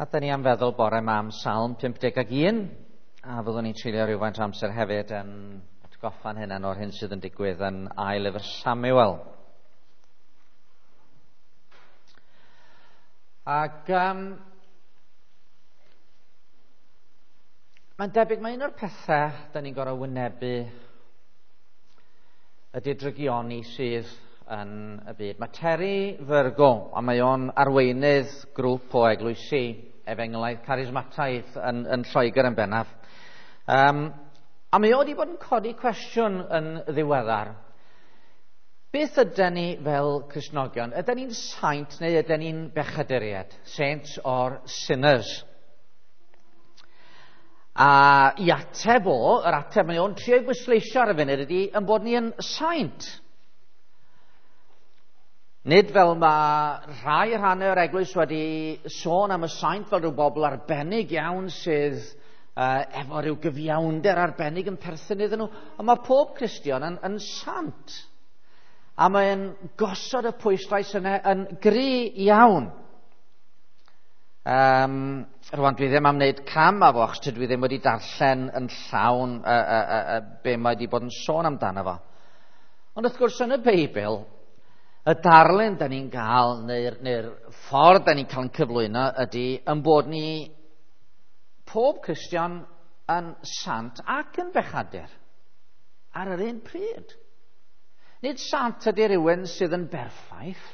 A da ni am feddwl bore yma am Salm 51, a fyddwn ni'n treulio rhywfaint o amser hefyd yn atgoffa'n hunain o'r hyn sydd yn digwydd yn ail lyfr Samuel. Ac mae'n debyg mae un o'r pethau da ni'n gorfod wynebu ydy'r drygioni sydd yn y byd. Mae Terry Virgo, a mae o'n arweinydd grŵp o eglwysi efengylaidd carismataidd yn Lloegr yn bennaf. A mae o wedi bod yn codi cwestiwn yn ddiweddar. Beth ydyn ni fel Cristnogion? Ydyn ni'n saint neu ydyn ni'n bechaduriaid? Saints or sinners? A i ateb o, yr ateb mae o'n trio ei bwysleisio ar y funud ydy yn bod ni yn saint. Nid fel mae rhai rhannau o'r eglwys wedi sôn am y saint fel rhyw bobl arbennig iawn sydd efo rhyw gyfiawnder arbennig yn perthyn iddyn nhw, ond mae pob Cristion yn sant. A mae'n gosod y pwyslais yna yn gry iawn. Rwan, dwi ddim am wneud cam â fo, achos dwi ddim wedi darllen yn llawn be mae wedi bod yn sôn amdano fo. Ond wrth gwrs yn y Beibl, y darlun da ni'n gael, neu'r ffordd da ni'n cael yn cyflwyno ydy yn bod ni, pob Cristion, yn sant ac yn bechadur ar yr un pryd. Nid sant ydy rhywun sydd yn berffaith.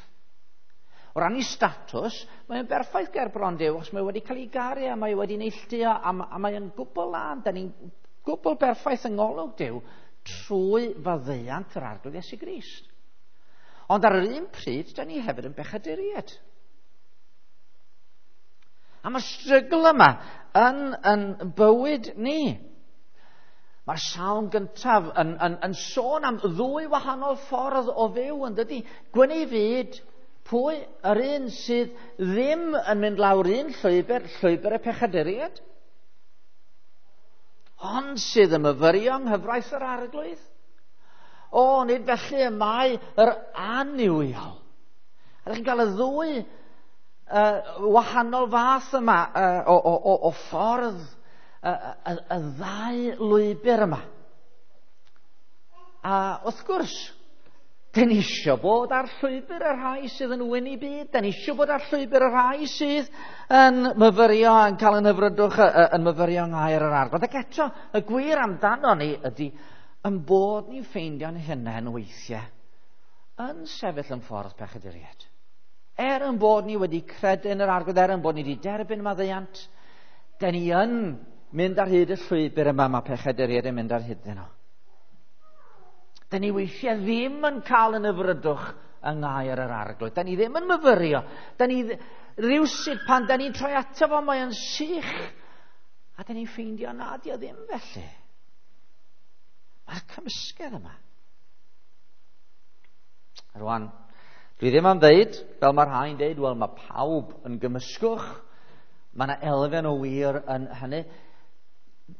O ran ei statws, mae'n berffaith ger bron Duw, achos mae wedi cael ei garu a mae wedi neilltuo a mae'n gwbl lân. Da ni'n gwbl berffaith yng ngolwg Duw trwy faddeuant yr Arglwydd Iesu Grist. Ond ar yr un pryd, da ni hefyd yn bechaduriaid. A mae'r strygl yma yn bywyd ni. Mae'r salm gyntaf yn sôn am ddwy wahanol ffordd o fyw, yn dydy? Gwyn ei fyd, pwy yr un sydd ddim yn mynd lawr un llwybr, llwybr y pechaduriaid, ond sydd yn myfyrio yng nghyfraith yr Arglwydd. O, nid felly y mae yr annuwiol. A ydych chi'n cael y ddwy wahanol fath yma o ffordd, y ddau lwybr yma. A wrth gwrs, dyn ni isio bod ar llwybr y rhai sydd yn wyn i byd. Dyn ni isio bod ar llwybr y rhai sydd yn myfyrio, yn cael yn hyfrydwch, yn myfyrio yng ngair yr Arglwydd. Ac eto, y gwir amdano ni ydy yn bod ni'n ffeindio'n hunain weithiau yn sefyll yn ffordd pechaduriaid. Er yn bod ni wedi credu yn yr Arglwydd, er yn bod ni wedi derbyn maddeuant, dyn ni yn mynd ar hyd y llwybr yma mae pechaduriaid yn mynd ar hyd nhw. Dyn ni weithiau ddim yn cael yn hyfrydwch yng ngair yr Arglwydd. Dyn ni ddim yn myfyrio. Dyn ni rywsut pan dyn ni'n troi ato fo, mae o'n sych. A dyn ni'n ffeindio na di o ddim felly. Mae'r cymysgedd yma. Rwan, dwi ddim am ddeud, fel mae rhai'n deud, wel mae pawb yn gymysgwch. Mae yna elfen o wir yn hynny.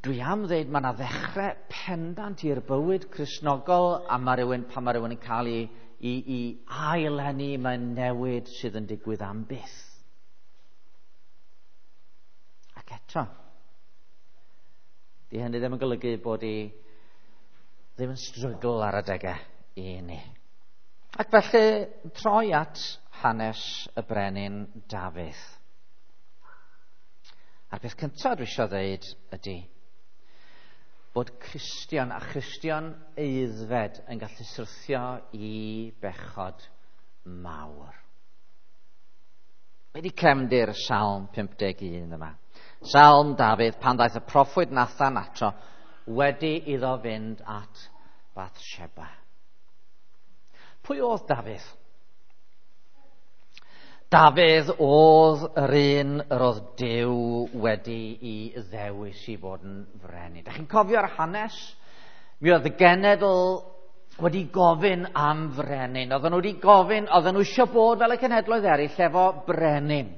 Dwi am ddeud mae yna ddechrau pendant i'r bywyd Cristnogol, a mae rhywun, pan mae rhywun yn cael ei ail-eni, mae'n newid sydd yn digwydd am byth. Ac eto, di hynny ddim yn golygu bod i ddim yn strygl ar adegau i ni. Ac felly, troi at hanes y brenin Dafydd. A'r peth cyntaf dwi eisiau ddeud ydy bod Cristion a Christion aeddfed yn gallu syrthio i bechod mawr. Wedi cefndir Salm 51 yma. Salm Dafydd pan ddaeth y proffwyd Nathan ato wedi iddo fynd at Bathsheba. Pwy oedd Dafydd? Dafydd oedd yr un yr oedd Duw wedi i ddewis i fod yn frenin. Dach chi'n cofio'r hanes? Mi oedd y genedl wedi gofyn am frenin. Oedden nhw wedi gofyn, oedden nhw eisiau bod fel y cenhedloedd eraill efo brenin.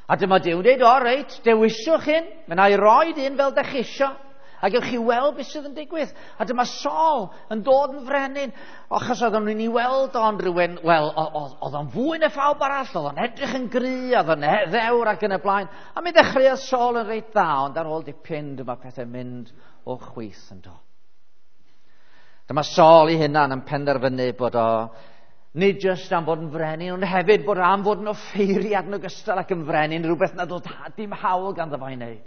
A dyma Duw'n dweud, o reit, dewiswch un, mi wna i roid un fel dach chi isio. A gewch chi weld beth sydd yn digwydd. A dyma Saul yn dod yn frenin. Achos oedden nhw'n ei weld o'n rhywun, wel, oedd o'n fwy na phawb arall, oedd o'n edrych yn gry, oedd o'n ddewr ac yn y blaen. A mi ddechreuodd Saul yn reit dda, ond ar ôl dipyn dyma pethau'n mynd o chwith yn do. Dyma Saul ei hunan yn penderfynu bod o nid jyst am fod yn frenin, ond hefyd bod am fod yn offeiriad yn ogystal ac yn frenin, rhywbeth nad oedd dim hawl ganddo fo i wneud.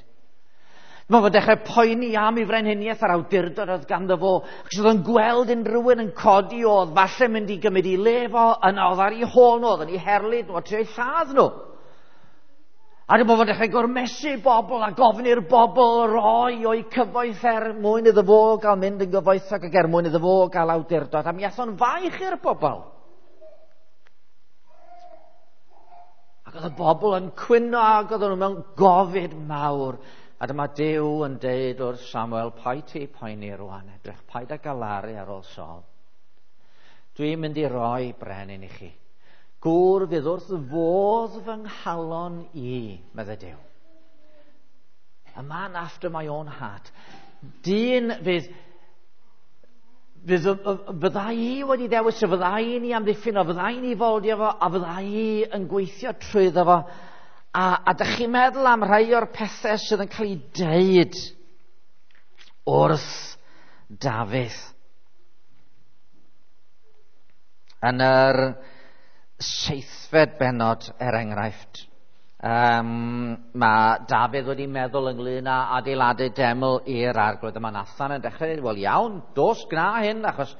Mae fo'n dechrau poeni am ei frenhiniaeth a'r awdurdod oedd ganddo fo, achos oedd o'n gweld unrhyw un yn codi oedd falle mynd i gymryd i le fo, yna oedd ar ei hôl nhw, oedd yn ei herlid nhw, a trio eu lladd nhw. A dyma fo'n dechrau gormesu bobl a gofyn i'r bobl roi o'i cyfoeth er mwyn iddo fo gael mynd yn gyfoethog ac er mwyn iddo fo gael awdurdod. A mi ath o'n faich i'r bobl. Ac oedd y bobl yn cwyno ac oedden nhw mewn gofid mawr. A dyma Duw yn deud wrth Samuel, paid ti poeni rwan, edrych, paid â galaru ar ôl Saul. Dwi'n mynd i roi brenin i chi. Gŵr fydd wrth fodd fy nghalon i, meddai Duw. A man after my own heart. Dyn fydd fydda i wedi dewis, y fydda i'n ei amddiffyn o, fydda i'n ei foldio fo, a fydda i yn gweithio trwyddo fo. A dych chi'n meddwl am rhai o'r pethau sydd yn cael ei deud wrth Dafydd. Yn yr 7fed bennod, er enghraifft, mae Dafydd wedi meddwl ynglyn â adeiladu deml i'r Arglwydd. Yma Nathan yn dechrau dweud, wel iawn, dos gna hyn, achos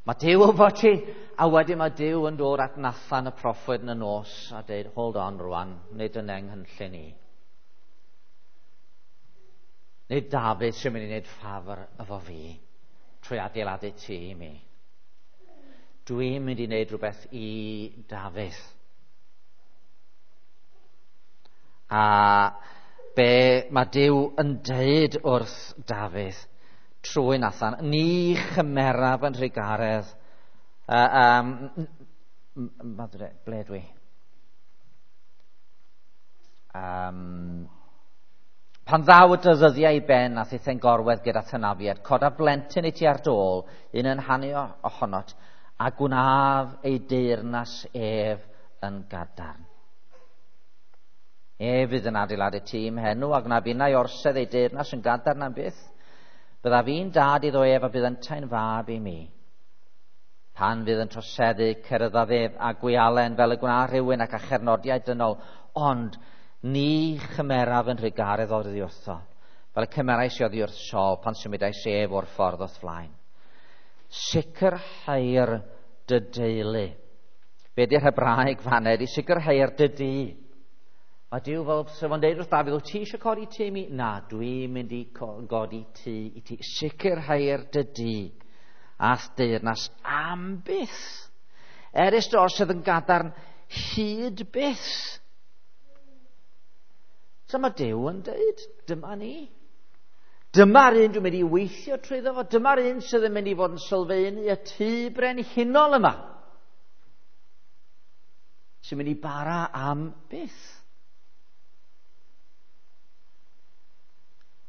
mae Duw efo ti. A wedyn mae Duw yn dod at Nathan y proffwyd yn y nos a dweud, hold on rwan, nid yn nghynllun i. Nid Dafydd sy'n mynd i wneud ffafr efo fi trwy adeiladu tŷ i mi. Dwi'n mynd i wneud rhywbeth i Dafydd. A be mae Duw yn deud wrth Dafydd trwy Nathan, ni chymeraf yn rhugaredd. Ble dwi? Pan ddaw y dyddiau i ben a thithau'n gorwedd gyda thynafiad, coda blentyn i ti ar dôl, un yn hanu ohonot, a gwnaf ei deyrnas ef yn gadarn. Ef fydd yn adeiladu tîm henw, a gwnaf innau orsedd ei deyrnas yn gadarn am byth. Byddaf fi'n dad iddo ef a bydd yntau'n fab i mi. Pan fydd yn troseddu, cerddaf ef a gwialen fel y gwna rhywun ac â chernodiau dynol, ond ni chymeraf yn rhugaredd oddi wrtho, fel y cymerais i oddi wrth Saul pan symudais ef o'r ffordd o'th flaen. Sicrhau'r dy deulu. Be di'r Hebraeg fan ydi? Sicrhau'r dy dŷ. Mae Duw fel sef o'n deud wrth Dafydd, wyt ti eisiau codi tŷ i mi? Na, dwi'n mynd i godi tŷ i ti. Sicrhau'r dy dŷ a'th deyrnas am byth. Erys dy orsedd yn gadarn hyd byth. So mae Duw yn deud, dyma ni. Dyma'r un dwi'n mynd i weithio trwyddo fo. Dyma'r un sydd yn mynd i fod yn sylfaenu y tŷ brenhinol yma. Sy'n mynd i bara am byth.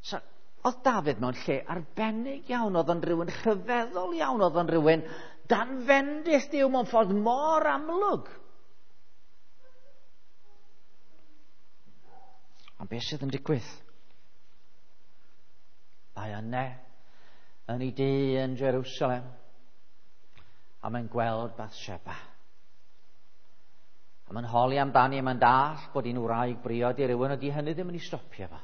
So, oedd Dafydd mewn lle arbennig iawn, oedd o'n rhywun rhyfeddol iawn, oedd o'n rhywun dan fendith Duw mewn ffordd mor amlwg. Ond beth sydd yn digwydd? Mae yna yn ei dŷ yn Jerusalem a mae'n gweld Bathsheba. A mae'n holi amdani a mae'n dallt bod hi'n wraig briod i rywun, ydy hynny ddim yn ei stopio fo.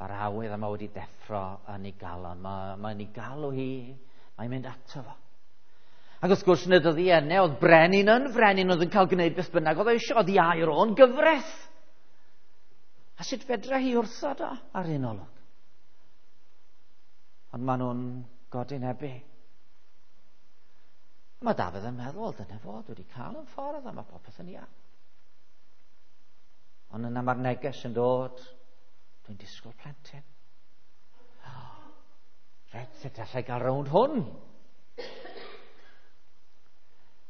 Mae'r awydd yma wedi deffro yn ei galon. Mae'n ei galw hi, mae'n mynd ato fo. Ac wrth gwrs, yn y dyddiau yna, oedd brenin yn frenin, oedd yn cael gwneud beth bynnag oedd eisiau, oedd ei air o'n gyfraith. A sut fedra hi wrthod o ar un olwg? Ond maen nhw'n godinebu. Mae Dafydd yn meddwl, dyna fo, dwi wedi cael yn ffordd a mae popeth yn iawn. Ond yna mae'r neges yn dod, dwi'n disgwyl plentyn. Reit, sut allai gael rownd hwn?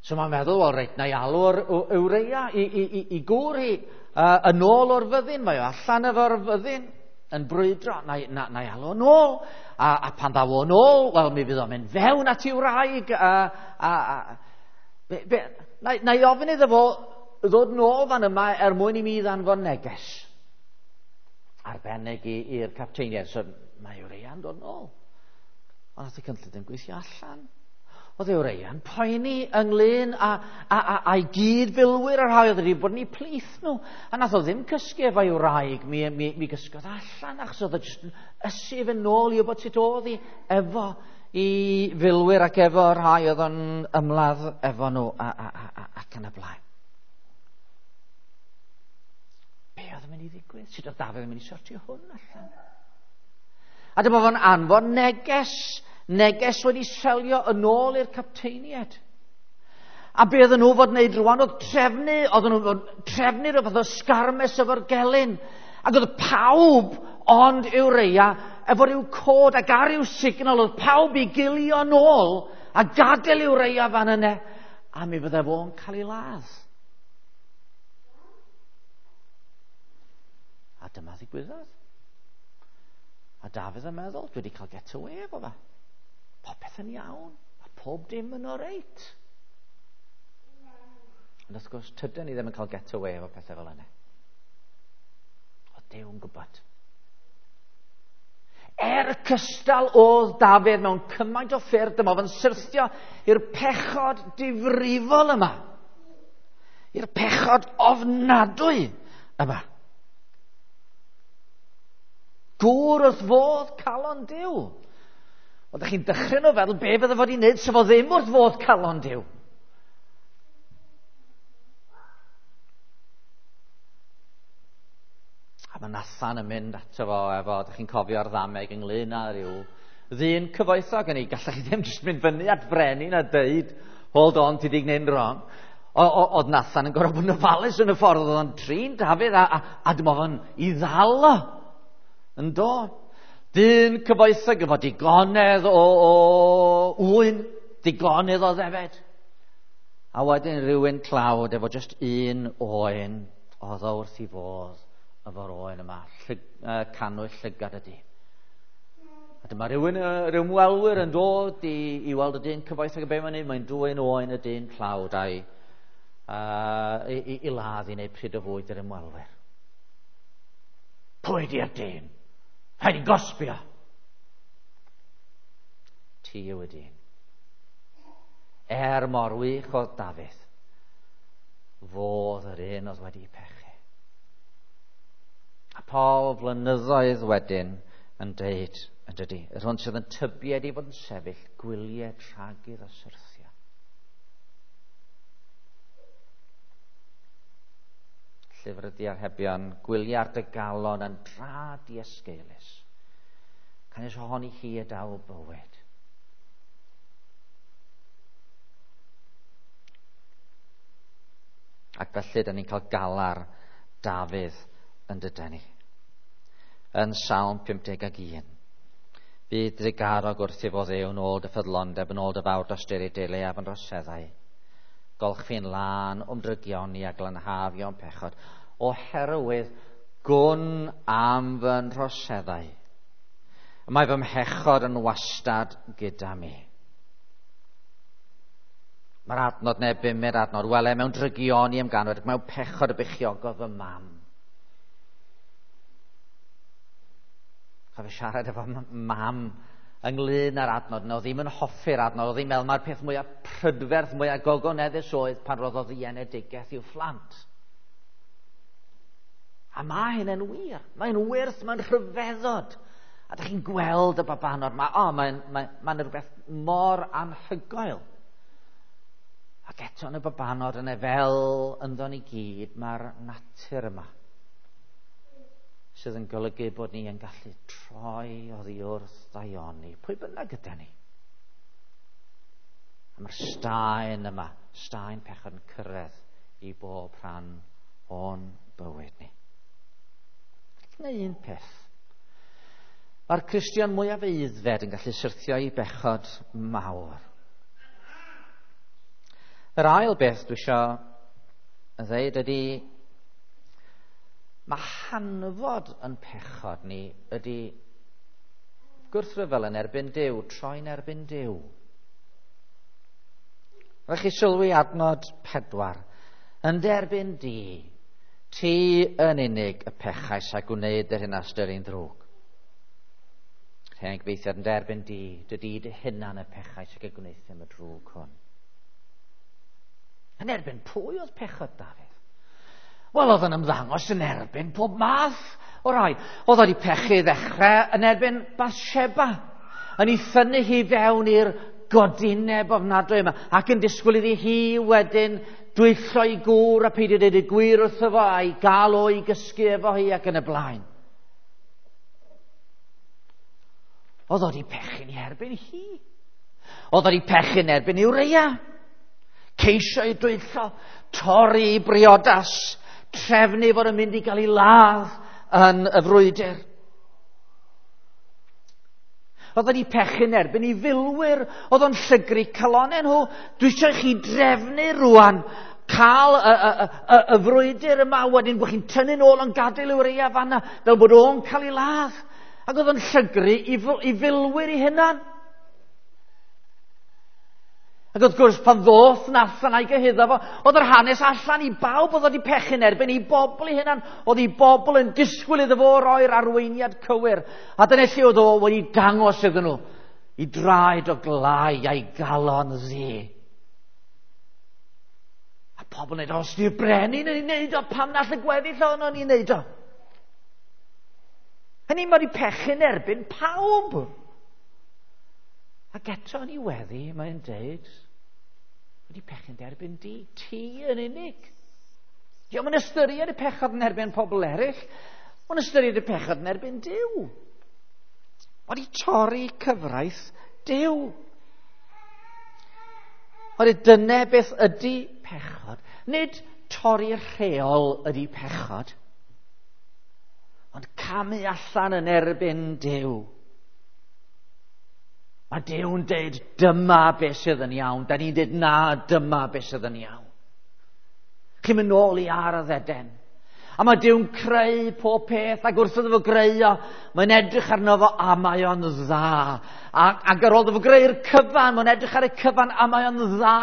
So mae'n meddwl, wel reit, na i alw'r Ureia i gŵr hi yn ôl o'r fyddin. Mae o allan efo'r fyddin. yn brwydro, na, na, na i alw yn ôl. A pan ddaw o'n ôl, wel, mi fydd o'n mynd fewn at ei wraig. A, be, be, na, na i ofyn iddo fo ddod nôl fan yma er mwyn i mi ddanfon neges. Arbennig i'r capteiniaid. So, mae Ureia'n dod nôl. Ond nath y cynllun ddim gweithio allan. Oedd Ureia'n poeni ynglyn â'i gyd-filwyr a rhai oedd wedi bod yn eu plith nhw. A nath o ddim cysgu efo'i wraig, mi gysgodd allan achos oedd o jyst yn ysu i fynd nôl i wybod sut oedd hi efo i filwyr ac efo rhai oedd o'n ymladd efo nhw ac yn y blaen. Be oedd yn mynd i ddigwydd? Sut oedd Dafydd yn mynd i sortio hwn allan? A dyma fo'n anfon neges wedi selio yn ôl i'r capteiniaid. A be oedden nhw fod wneud rwan oedd trefnu, oedden nhw fod trefnu rhywbeth o sgarmes efo'r gelyn. Ac oedd pawb ond Ureia efo rhyw cod ac ar ryw signal, oedd pawb i gilio nôl a gadael Ureia fan yna, a mi fydde fo'n cael ei ladd. A dyma ddigwyddodd. A Dafydd yn meddwl, dwi wedi cael get away efo fe. Popeth yn iawn, a pob dim yn oreit. Ond wrth gwrs, tydyn ni ddim yn cael get away efo pethau fel yna. Oedd Duw yn gwybod. Er cystal oedd Dafydd mewn cymaint o ffyrdd, dyma fo'n syrthio i'r pechod difrifol yma. I'r pechod ofnadwy yma. Gŵr wrth fodd calon Duw. Oeddech chi'n dychryn o feddwl be fydde fod i wneud sef o ddim wrth fodd calon Duw. A mae Nathan yn mynd ato fo efo, ydych chi'n cofio'r ddameg ynglyn â rhyw ddyn cyfoethog yn ei, gallech chi ddim jyst mynd fyny at brenin a deud, hold on, ti di gwneud wrong. Oedd Nathan yn gorfod bod yn ofalus yn y ffordd oedd o'n trin Dafydd a dyma fo'n i ddal o. Yn do. Dyn cyfoethog efo digonedd o ŵyn, digonedd o ddefed. A wedyn rhywun tlawd efo just un oen, oedd o wrth i fodd efo'r oen yma, cannwyll llygad ydi. A dyma rhywun, rhyw ymwelwyr yn dod i weld y dyn cyfoethog y be mae'n neud, mae'n dwyn oen y dyn tlawd a'i i ladd i wneud pryd o fwyd i'r ymwelwyr. Pwy di'r dyn? Rhaid i gosbio. Ti yw y dyn. Er mor wych oedd Dafydd, fodd yr un oedd wedi pechu. A Paul flynyddoedd wedyn yn deud, yn dydy, yr hwn sydd yn tybied i fod yn sefyll, gwylied rhag iddo syrthio. Llyfr y Diarhebion, gwylia'r dy galon yn dra diesgeulus. Canys ohoni hi y daw bywyd. Ac felly, da ni'n cael galar Dafydd yn dyden ni. Yn Salm 51. Bydd drugarog wrth i fo Dduw yn ôl dy ffyddlondeb, yn ôl dy fawr dosturi deulu a fy nhroseddau. Golchfi'n lân o'm drygioni a glanhafio'n pechod, oherwydd gwn am fy nhroseddau. Mae fy mhechod yn wastad gyda mi. Mae'r adnod neu bumed adnod, wele mewn drygioni am ganwyd, mewn pechod y beichiogodd fy mam. Cofio siarad efo mam ynglyn â'r adnod yna, oedd ddim yn hoffi'r adnod, oedd ddim meddwl mae'r peth mwyaf prydferth, mwyaf gogoneddus oedd pan roddodd hi enedigaeth i'w phlant. A mae hyn yn wir, mae'n wyrth, mae'n rhyfeddod. A dych chi'n gweld y babanod, mae'n rhywbeth mor anhygoel. Ac eto yn y babanod yna fel ynddo ni gyd, mae'r natur yma sydd yn golygu bod ni yn gallu troi oddi wrth ddaioni, pwy bynnag gyda ni. A mae'r staen yma, staen pechod yn cyrraedd i bob rhan o'n bywyd ni. Neu un peth. Mae'r Cristion mwyaf aeddfed yn gallu syrthio i bechod mawr. Yr ail beth dwi isio ddeud ydy, Mae hanfod yn pechod ni ydy gwrthryfel yn erbyn Duw, troi'n erbyn Duw. Rhaid chi sylwi adnod 4. Yn derbyn di, ti yn unig y pechais a gwneud yr hyn a ystyri'n ddrwg. Rhen gyfeithiad yn derbyn di, dydy dy hunan y pechais ac y gwnaethum y drwg hwn. Yn erbyn pwy oedd pechod Dafydd? Wel, oedd yn ymddangos yn erbyn pob math o rai. Oedd wedi pechu i ddechrau yn erbyn Bathsheba, yn ei thynnu hi fewn i'r godineb ofnadwy yma, ac yn disgwyl iddi hi wedyn dwyllo i gŵr a peidio dweud y gwir wrtho fo a'i gael o i gysgu efo hi ac yn y blaen. Oedd wedi pechu'n i erbyn hi. Oedd wedi pechu'n erbyn Ureia. Ceisio i dwyllo, torri i briodas, trefnu fod yn mynd i gael ei ladd yn y frwydr. Oedd wedi pechu'n erbyn i filwyr, oedd o'n llygru calonau nhw. Dwi eisiau chi drefnu rwan, cael y frwydr yma wedyn, bod chi'n tynnu'n ôl yn gadael Ureia fanna, fel bod o'n cael ei ladd. Ac oedd o'n llygru i filwyr i hunan. Ac wrth gwrs, pan ddoth Nathan a'i gyhuddo fo, oedd yr hanes allan i bawb oedd wedi pechu'n erbyn i bobl i hunan. Oedd i bobl yn disgwyl iddo fo roi'r arweiniad cywir. A dyna lle oedd o wedi dangos iddyn nhw i draed o glai a'i galon ddu. A pobl yn dweud, os di'r brenin yn ei wneud o, pam na all y gweddill ohono ni'n wneud o? Hynny, mae wedi pechu'n erbyn pawb. Ac eto yn ei weddi, mae'n deud, wedi pechu'n derbyn di, ti yn unig. Dio'm yn ystyried y pechod yn erbyn pobl eraill, mae'n ystyried y pechod yn erbyn Duw. Wedi torri cyfraith Duw. Oherwydd dyna beth ydy pechod. Nid torri rheol ydy pechod, ond camu allan yn erbyn Duw. Mae Duw'n deud, dyma beth sydd yn iawn. Da ni'n deud, na, dyma beth sydd yn iawn. Chi'n mynd nôl i Ardd Eden. A mae Duw'n creu pob peth, ac wrth iddo fo greu o, mae'n edrych arno fo, a mae o'n dda. Ac ar ôl iddo fo greu'r cyfan, mae'n edrych ar y cyfan, a mae o'n dda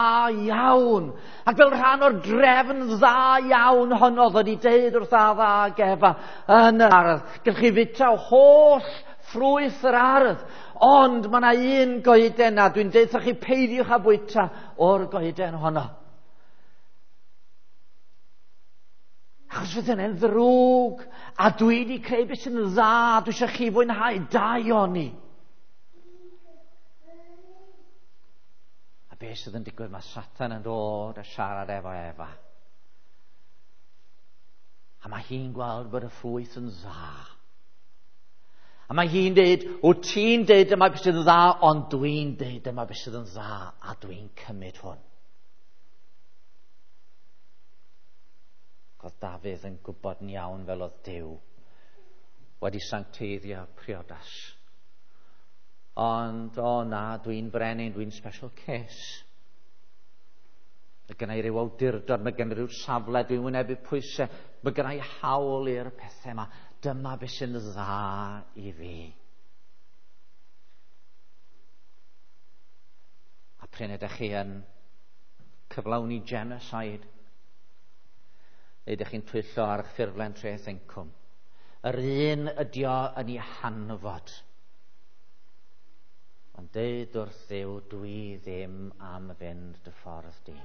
iawn. Ac fel rhan o'r drefn dda iawn honno, oedd wedi deud wrth Adda ac Efa yn yr ardd, gallwch chi fwyta holl ffrwyth yr ardd, ond mae yna un goeden a dwi'n deud wrthych chi peidiwch â bwyta o'r goeden honno. Achos fydd hynny'n ddrwg, a dwi wedi creu beth sy'n dda, dwi eisiau chi fwynhau daioni. A beth sydd yn digwydd, mae Satan yn dod a siarad efo Efa. A mae hi'n gweld bod y ffrwyth yn dda. A mae hi'n deud, wyt ti'n deud dyma beth sydd yn dda, ond dwi'n deud dyma beth sydd yn dda, a dwi'n cymryd hwn. Oedd Dafydd yn gwybod yn iawn fel oedd Duw wedi sancteiddio priodas. Ond, o na, dwi'n brenin, dwi'n special case. Mae gen i ryw awdurdod, mae gen i ryw safle, dwi'n wynebu pwysau, mae gen i hawl i'r pethau yma. Dyma beth sy'n dda i fi. A prin ydych chi yn cyflawni genocide, neu ydych chi'n twyllo ar eich ffurflen treth incwm. Yr un ydi o yn ei hanfod. Ond deud wrth Dduw, dwi ddim am fynd dy ffordd di.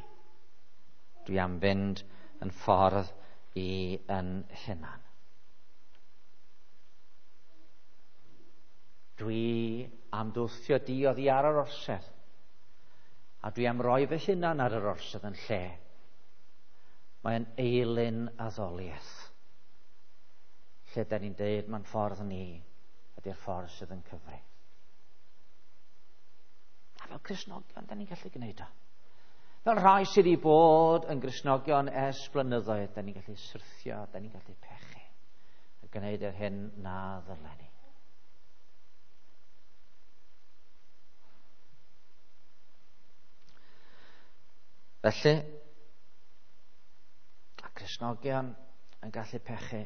Dwi am fynd yn ffordd i yn hunan. Dwi am dwthio di oddi ar yr orsedd, a dwi am roi fy hunan ar yr orsedd yn lle. Mae'n eilun addoliaeth, lle da ni'n deud mae'n ffordd ni ydy'r ffordd sydd yn cyfri. A fel Cristnogion, da ni'n gallu gwneud o. Fel rhai sydd wedi bod yn Gristnogion ers blynyddoedd, da ni'n gallu syrthio, da ni'n gallu pechu, a gwneud yr hyn na ddylen ni. Felly, a Cristnogion yn gallu pechu,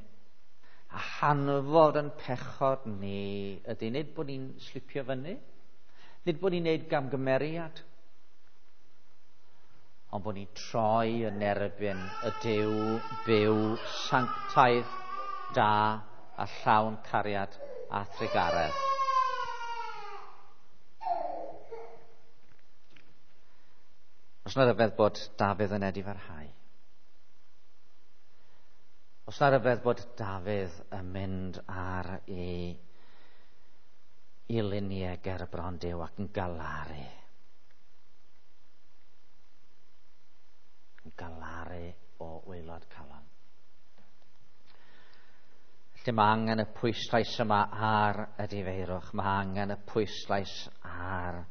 A hanfod yn pechod ni ydy nid bod ni'n slipio fyny, nid bod ni'n neud gamgymeriad, ond bod ni'n troi yn erbyn y Duw byw sanctaidd, da a llawn cariad a thrugaredd. Os na ryfedd bod Dafydd yn edifarhau. Os na ryfedd bod Dafydd yn mynd ar ei i luniau ger y bron Duw ac yn galaru. Yn galaru o waelod calon. Felly mae angen y pwyslais yma ar y difeirwch. Mae angen y pwyslais ar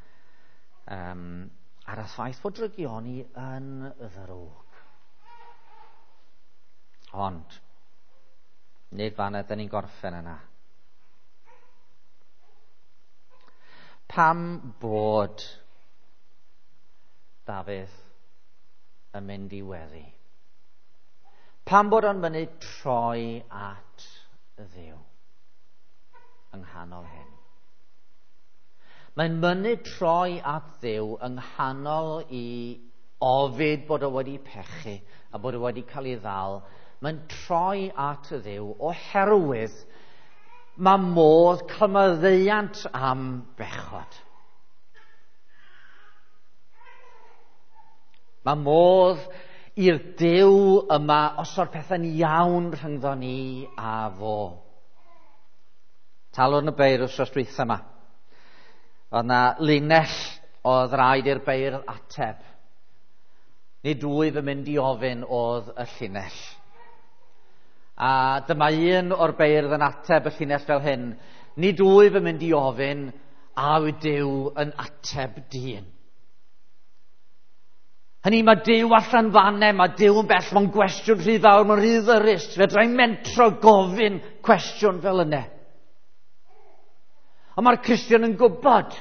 y ffaith fod drygioni yn ddrwg. Ond, nid fan ydyn ni'n gorffen yna. Pam bod Dafydd yn mynd i weddi? Pam bod o'n mynd troi at Dduw yng nghanol hyn? Mae'n mynnu troi at Dduw yng nghanol i ofid bod o wedi pechu a bod o wedi cael ei ddal. Mae'n troi at Dduw oherwydd mae modd cael maddeuant am bechod. Mae modd i'r Duw yma osod pethau'n iawn rhyngddo ni a fo. Talwrn y beirdd wrth dwytha yma. Oedd na linell oedd rhaid i'r beirdd ateb. Nid wyf yn mynd i ofyn oedd y llinell. A dyma un o'r beirdd yn ateb y llinell fel hyn. Nid wyf yn mynd i ofyn a yw Duw yn ateb dyn. Hynny, mae Duw allan fanne, mae Duw yn bell, mae'n gwestiwn rhy fawr, mae'n rhy ddyrus. Fedra i mentro gofyn cwestiwn fel yna. Ond mae'r Cristion yn gwybod,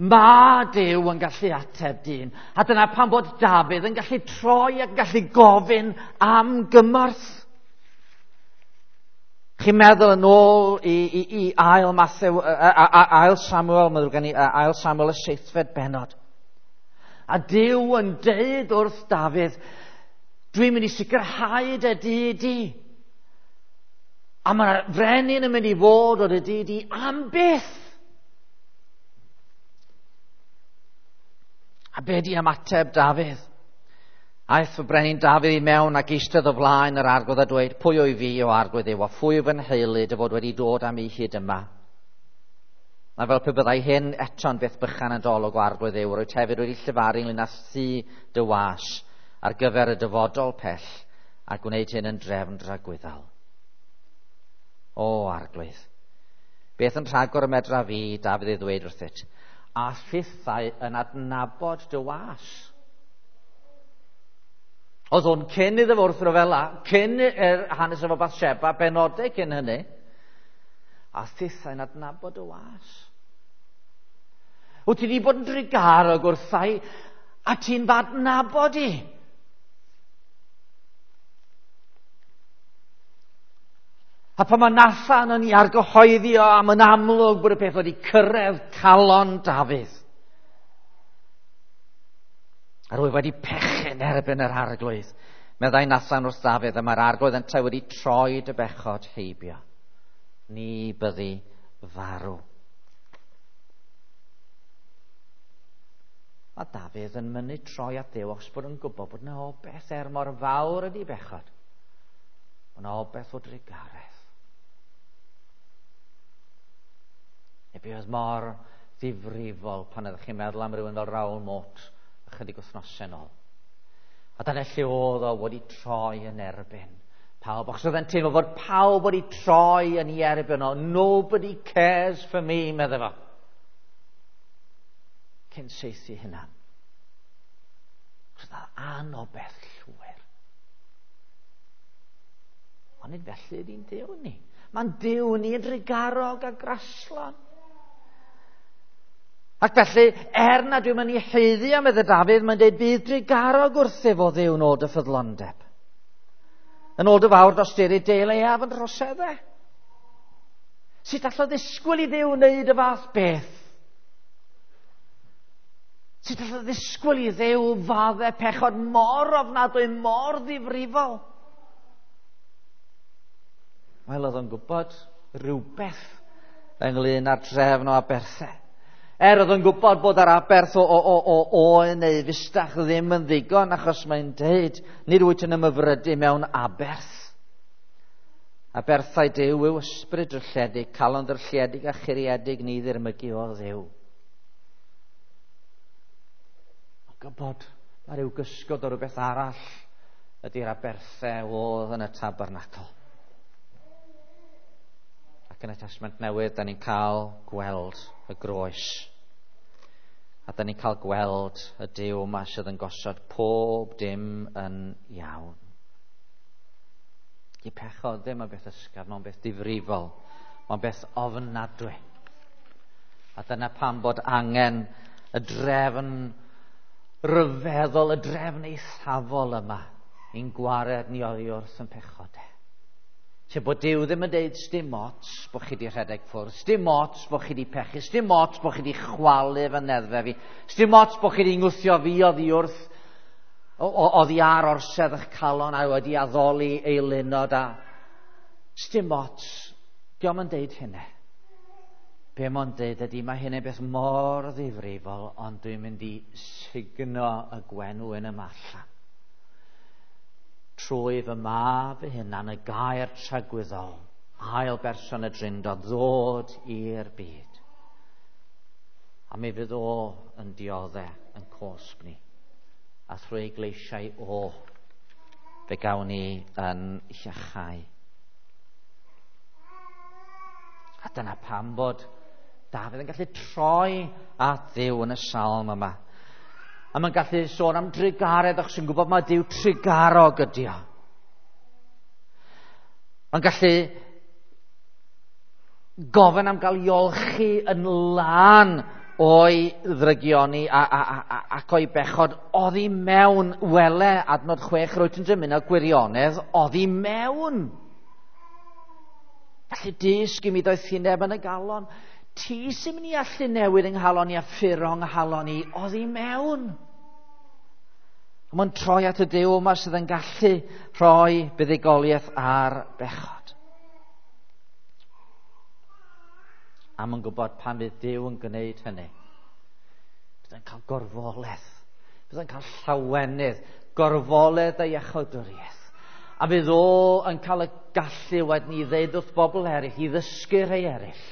mae Duw yn gallu ateb dyn. A dyna pam bod Dafydd yn gallu troi ac yn gallu gofyn am gymorth. Chi'n meddwl yn ôl i ail Mathew, ail Samuel, mae'n ddrwg gen i, ail Samuel y 7fed bennod. A Duw yn deud wrth Dafydd, dwi'n mynd i sicrhau dy dŷ di. A mae'r frenin yn mynd i fod o dy dŷ di am byth. A be di ymateb Dafydd? Aeth y brenin Dafydd i mewn ac eistedd o flaen yr arglwydd a dweud, pwy o'i fi o arglwydd yw, a phwy fy nheulu dy fod wedi dod am i hyd yma? Mae fel pe byddai hyn eto'n beth bychan yn dolwg o arglwydd yw, rwyt hefyd wedi llefaru ynglyn â thŷ dy was ar gyfer y dyfodol pell a gwneud hyn yn drefn dragwyddol. O arglwydd, beth yn rhagor y medra fi, Dafydd ei ddweud wrthyt, a thithau yn adnabod dy was. Oedd hwn cyn iddo fo wrth ryfela, cyn yr hanes efo Bathsheba, benodau cyn hynny, a thithau'n adnabod y was. Wyt ti wedi bod yn drugarog wrthai, a ti'n f'adnabod i. A pan mae Nathan yn ei argyhoeddi o am yn amlwg bod y peth wedi cyrraedd calon Dafydd. A rwy wedi pechu'n erbyn yr arglwydd. Meddai Nathan wrth Dafydd, a mae'r arglwydd yntau wedi troi dy bechod heibio. Ni byddi farw. Mae Dafydd yn mynnu troi at Dduw achos bod yn gwybod bod yna obeth er mor fawr ydi bechod. Mae yna obeth o drugaredd. Neu be oedd mor ddifrifol pan ydych chi'n meddwl am rywun fel Raoul Moat ychydig wythnosau nôl. A dyna lle oedd o wedi troi yn erbyn pawb. Achos oedd e'n teimlo fod pawb wedi troi yn ei erbyn o. Nobody cares for me, meddai fo. Cyn saethu hunan. Achos oedd anobeth llwyr. Ond nid felly ydy'n Duw ni. Mae'n Duw ni yn drugarog a graslon. Ac felly, er na dwi'n mynd i haeddu am meddai Dafydd, mae'n dweud bydd drugarog wrthyf o Dduw yn ôl dy ffyddlondeb. Yn ôl dy fawr dosturi deil eaf yn droseddau. Sut allodd ddisgwyl i Dduw wneud y fath beth? Sut allodd ddisgwyl i Dduw fadde pechod mor ofnadwy, mor ddifrifol? Wel, oedd o'n gwybod rhywbeth ynglyn â'r drefn o aberthau. Oedd o'n gwybod bod yr aberth o, o, o, o oen neu fustach ddim yn ddigon, achos mae'n deud, nid wyt yn ymhyfrydu mewn aberth. Aberthau Duw yw ysbryd drylliedig, calon drylliedig a churiedig ni ddirmygu o Dduw. Mae'n gwybod mae rhyw gysgod o rhywbeth arall ydy'r aberthau oedd yn y tabernacl. Ac yn y Testament Newydd, da ni'n cael gweld y groes. A da ni'n cael gweld y Duw yma sydd yn gosod pob dim yn iawn. Di pechod ddim yn beth ysgafn, mae'n beth difrifol, mae'n beth ofnadwy. A dyna pam bod angen y drefn ryfeddol, y drefn eithafol yma i'n gwared ni oddi wrth yn pechodau. Lle bod Duw ddim yn deud sdim ots bod chi wedi rhedeg ffwrdd, sdim ots bod chi wedi pechu, sdim ots bod chi wedi chwalu fy neddfe fi, sdim ots bod chi wedi ngwthio fi oddi wrth oddi ar orsedd eich calon a wedi addoli eilunod a sdim ots. Dio'm yn deud hynny. Be mae'n deud ydy mae hynny'n beth mor ddifrifol, ond dwi'n mynd i sugno y gwenwyn yma allan. Trwy fy mab fy hunan, y gair tragwyddol, ail berson y Drindod, ddod i'r byd. A mi fydd o yn diodde yn cosb ni. A thrwy gleisiau o, fe gawn ni yn iachau. A dyna pam bod Dafydd yn gallu troi at Dduw yn y salm yma. A mae'n gallu sôn am drugaredd, achos yn gwybod mae Duw trugarog ydi o. Mae'n gallu gofyn am gael i olchi yn lân o'i ddrygioni ac o'i bechod oddi mewn. Wele, adnod 6, rwyt yn dymuno gwirionedd oddi mewn. Felly dysg i mi doethineb yn y galon. Ti sy'n mynd i allu newid yng nghalon i a ffuro yng nghalon i oddi mewn. A mae'n troi at y Duw yma sydd yn gallu rhoi buddugoliaeth ar bechod. A mae'n gwybod pan fydd Duw yn gwneud hynny, bydd yn cael gorfoledd, bydd yn cael llawenydd, gorfoledd a iachawdwriaeth. A fydd o yn cael y gallu wedyn i ddeud wrth bobl eraill, i ddysgu rhai eraill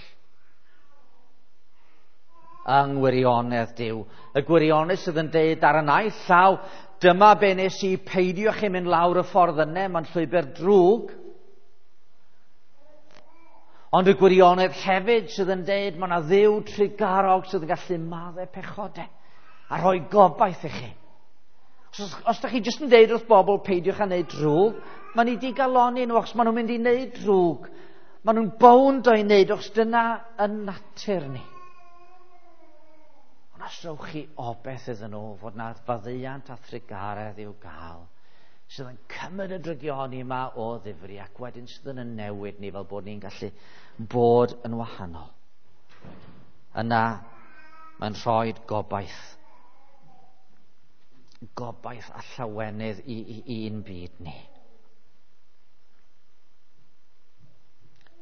yng ngwirionedd Duw. Y gwirionedd sydd yn deud ar y naill llaw, dyma be nes i, peidiwch chi mynd lawr y ffordd yna, mae'n llwybr drwg. Ond y gwirionedd hefyd sydd yn deud mae yna Dduw trugarog sydd yn gallu maddau pechodau a rhoi gobaith i chi. Os da chi jyst yn deud wrth bobl peidiwch â wneud drwg, maen nhw wedi galoni nhw achos maen nhw'n mynd i wneud drwg. Maen nhw'n bownd o'i wneud achos dyna yn natur ni. Ond os rowch chi obaith iddyn nhw fod na faddeuant a thrugaredd i'w gael, sydd yn cymryd y drygioni yma o ddifri ac wedyn sydd yn newid ni fel bod ni'n gallu bod yn wahanol. Yna mae'n rhoi gobaith. Gobaith a llawenydd i'n byd ni.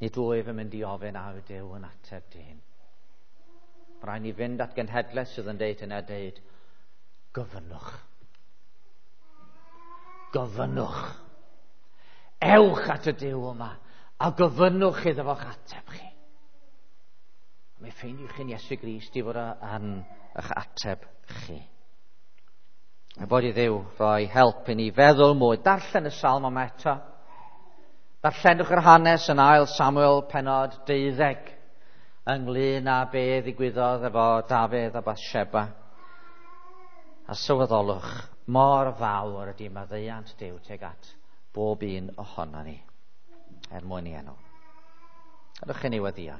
Nid wyf yn mynd i ofyn a yw Duw yn ateb dyn. Mae rhaid ni fynd at genhedlaeth sydd yn deud hynna, deud, gofynnwch. Gofynnwch. Ewch at y Duw yma a gofynnwch iddo fo'ch ateb chi. A mi ffeindiwch chi'n Iesu Grist i fod yn eich ateb chi. A bod i Dduw roi help i ni feddwl mwy. Darllen y salm yma eto. Darllenwch yr hanes yn 2 Samuel pennod 12 ynglyn â be ddigwyddodd efo Dafydd a Bathsheba. A sylweddolwch mor fawr ydy maddeuant Duw tuag at bob un ohono ni, er mwyn i enw. Gadewch i ni weddïo.